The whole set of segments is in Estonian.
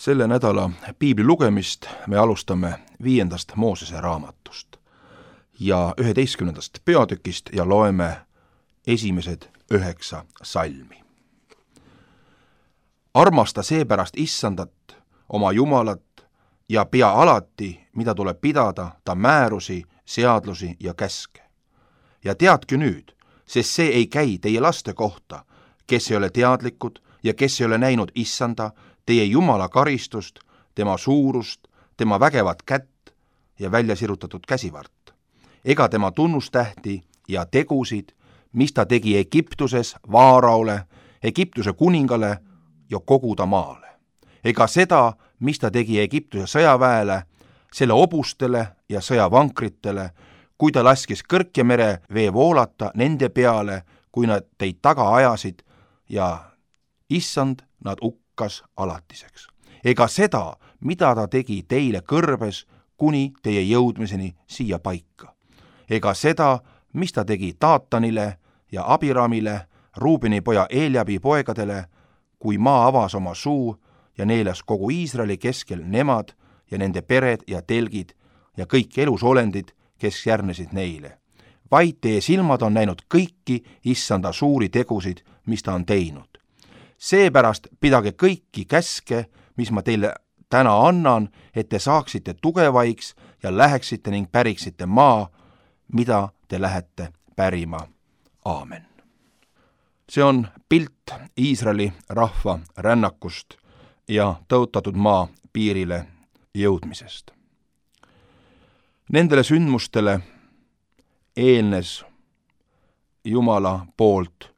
Selle nädala piibli lugemist me alustame 5. Moosese raamatust ja 11. peatükist ja loeme esimesed 9 salmi. Armasta seepärast Issandat, oma Jumalat, ja pea alati, mida tuleb pidada, ta määrusi, seadlusi ja käske. Ja teadke nüüd, sest see ei käi teie laste kohta, kes ei ole teadlikud ja kes ei ole näinud Issanda, teie Jumala karistust, tema suurust, tema vägevat kätt ja välja sirutatud käsivart, ega tema tunnustähti ja tegusid, mis ta tegi Egiptuses Vaaraole, Egiptuse kuningale ja kogu ta maale, ega seda, mis ta tegi Egiptuse sõjaväele, selle hobustele ja sõjavankritele, kui ta laskis Kõrkjamere vee voolata nende peale, kui nad teid taga ajasid ja Issand nad hukkas alatiseks. Ega seda, mida ta tegi teile kõrbes kuni teie jõudmiseni siia paika. Ega seda, mis ta tegi Taatanile ja Abiramile, Ruubeni poja Eeljabi poegadele, kui maa avas oma suu ja neelas kogu Iisraeli keskel nemad ja nende pered ja telgid ja kõik elusolendid, kes järgnesid neile. Vaid teie silmad on näinud kõiki Issanda suuri tegusid, mis ta on teinud. Seepärast pidage kõiki käske, mis ma teile täna annan, et te saaksite tugevaiks ja läheksite ning päriksite maa, mida te lähete pärima. Aamen. See on pilt Iisraeli rahva rännakust ja tõotatud maa piirile jõudmisest. Nendele sündmustele eelnes Jumala poolt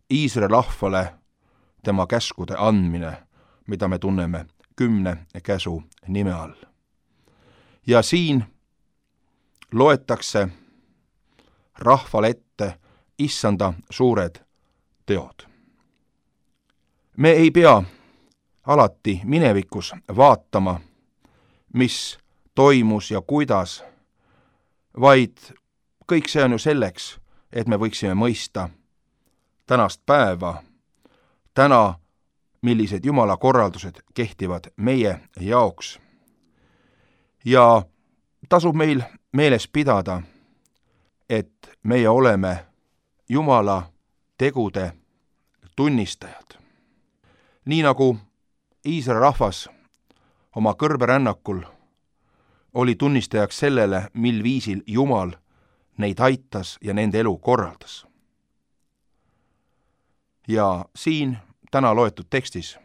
Iisraeli rahvale tema käskude andmine, mida me tunneme 10 käsu nime all. Ja siin loetakse rahvale ette Issanda suured teod. Me ei pea alati minevikus vaatama, mis toimus ja kuidas, vaid kõik see on ju selleks, et me võiksime mõista tänast päeva, täna, millised Jumala korraldused kehtivad meie jaoks. Ja tasub meil meeles pidada, et meie oleme Jumala tegude tunnistajad. Nii nagu Iisraeli rahvas oma kõrberännakul oli tunnistajaks sellele, mil viisil Jumal neid aitas ja nende elu korraldas. Ja siin täna loetud tekstis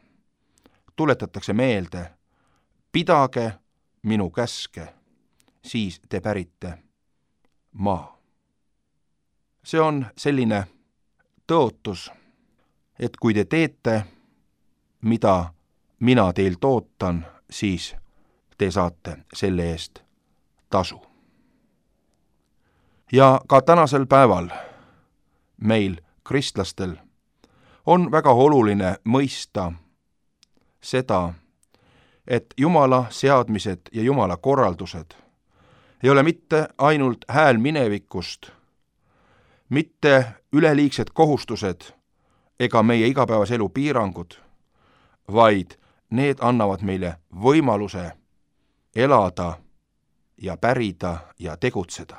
tuletatakse meelde, pidage minu käske, siis te pärite maa. See on selline tõotus, et kui te teete, mida mina teilt ootan, siis te saate selle eest tasu. Ja ka tänasel päeval meil, kristlastel, on väga oluline mõista seda, et Jumala seadmised ja Jumala korraldused ei ole mitte ainult hääl minevikust, mitte üleliigsed kohustused ega meie igapäevase elu piirangud, vaid need annavad meile võimaluse elada ja pärida ja tegutseda.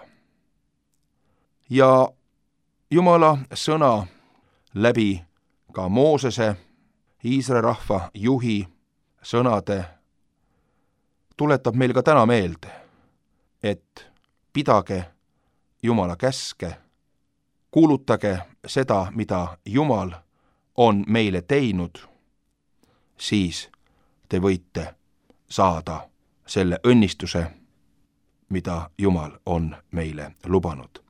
Ja Jumala sõna läbi ka Moosese, Iisraeli rahva juhi sõnade tuletab meil ka täna meelde, et pidage Jumala käske, kuulutage seda, mida Jumal on meile teinud, siis te võite saada selle õnnistuse, mida Jumal on meile lubanud.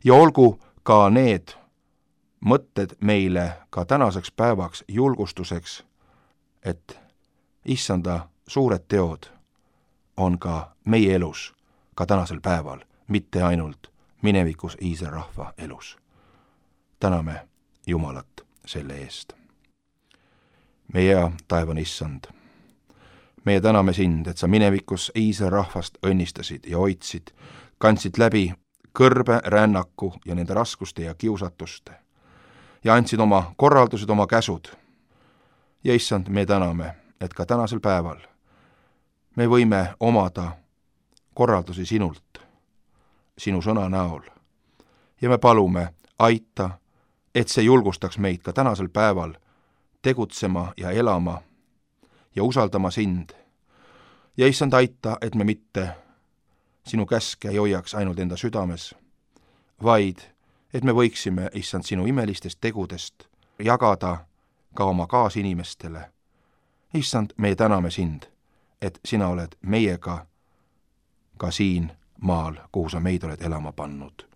Ja olgu ka need mõtted meile ka tänaseks päevaks julgustuseks, et Issanda suured teod on ka meie elus, ka tänasel päeval, mitte ainult minevikus Iisraeli rahva elus. Täname Jumalat selle eest. Meie hea taevane Issand, meie täname sind, et sa minevikus Iisraeli rahvast õnnistasid ja hoidsid, kandsid läbi kõrbe rännaku ja nende raskuste ja kiusatuste ja andsid oma korraldused, oma käsud. Ja Issand, me täname, et ka tänasel päeval me võime omada korraldusi sinult, sinu sõna näol. Ja me palume, aita, et see julgustaks meid ka tänasel päeval tegutsema ja elama ja usaldama sind. Ja issand, aita, et me mitte sinu käske ei hoiaks ainult enda südames, vaid et me võiksime, issand, sinu imelistest tegudest jagada ka oma kaasinimestele. Issand, me täname sind, et sina oled meiega ka siin maal, kuhu sa meid oled elama pannud.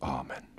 Aamen.